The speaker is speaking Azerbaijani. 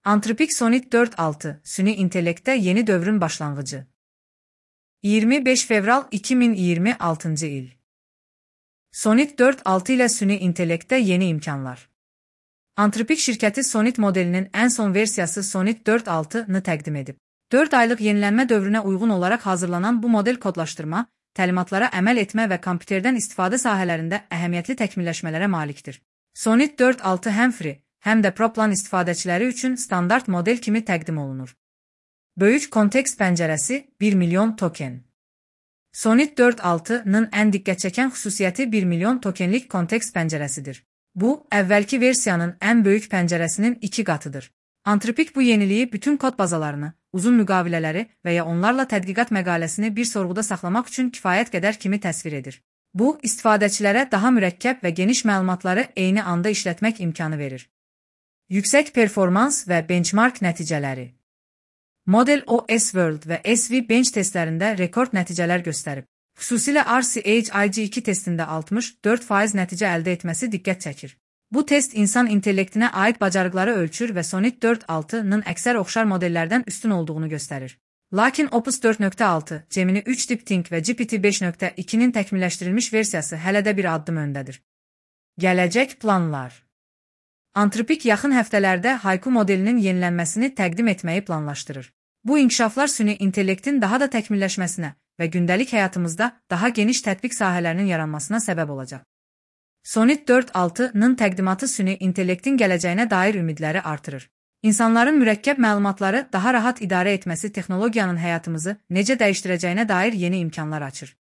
Anthropic Sonnet 4.6 Süni intellekte yeni dövrün başlangıcı. 25 Fevral 2026 il. Sonnet 4.6 ile süni intellekte yeni imkanlar. Anthropic şirketi Sonnet modelinin en son versiyası Sonnet 4.6'nı təqdim edib. 4 aylıq yenilenme dövrüne uygun olarak hazırlanan bu model kodlaştırma, təlimatlara əməl etmə və kompüterdən istifadə sahələrində əhəmiyyətli təkmilləşmələrə malikdir. Sonnet 4.6 həm free, həm də pro plan istifadəçiləri üçün standart model kimi təqdim olunur. Böyük kontekst pəncərəsi 1 milyon token. Sonnet 4.6'nın ən diqqət çəkən xüsusiyyəti 1 milyon tokenlik kontekst pəncərəsidir. Bu, əvvəlki versiyanın ən böyük pəncərəsinin 2 qatıdır. Anthropic bu yeniliyi bütün kod bazalarını, uzun müqavilələri və ya onlarla tədqiqat məqaləsini bir sorğuda saxlamaq üçün kifayət qədər kimi təsvir edir. Bu, istifadəçilərə daha mürəkkəb və geniş məlumatları eyni anda işlətmək imkanı verir. Yüksək performans və benchmark nəticələri. Model OS World və SV Bench testlərində rekord nəticələr göstərib. Xüsusilə RCHIG2 testində 64% nəticə əldə etməsi diqqət çəkir. Bu test insan intellektinə aid bacarıqları ölçür və Sonnet 4.6'nın əksər oxşar modellərdən üstün olduğunu göstərir. Lakin Opus 4.6, Gemini 3 Deep Think və GPT 5.2'nin təkmilləşdirilmiş versiyası hələ də bir addım öndədir. Gələcək planlar. Anthropic yaxın həftələrdə Haiku modelinin yenilənməsini təqdim etməyi planlaşdırır. Bu inkişaflar süni intellektin daha da təkmilləşməsinə və gündəlik həyatımızda daha geniş tətbiq sahələrinin yaranmasına səbəb olacaq. Sonnet 4.6'nın təqdimatı süni intellektin gələcəyinə dair ümidləri artırır. İnsanların mürəkkəb məlumatları daha rahat idarə etməsi texnologiyanın həyatımızı necə dəyişdirəcəyinə dair yeni imkanlar açır.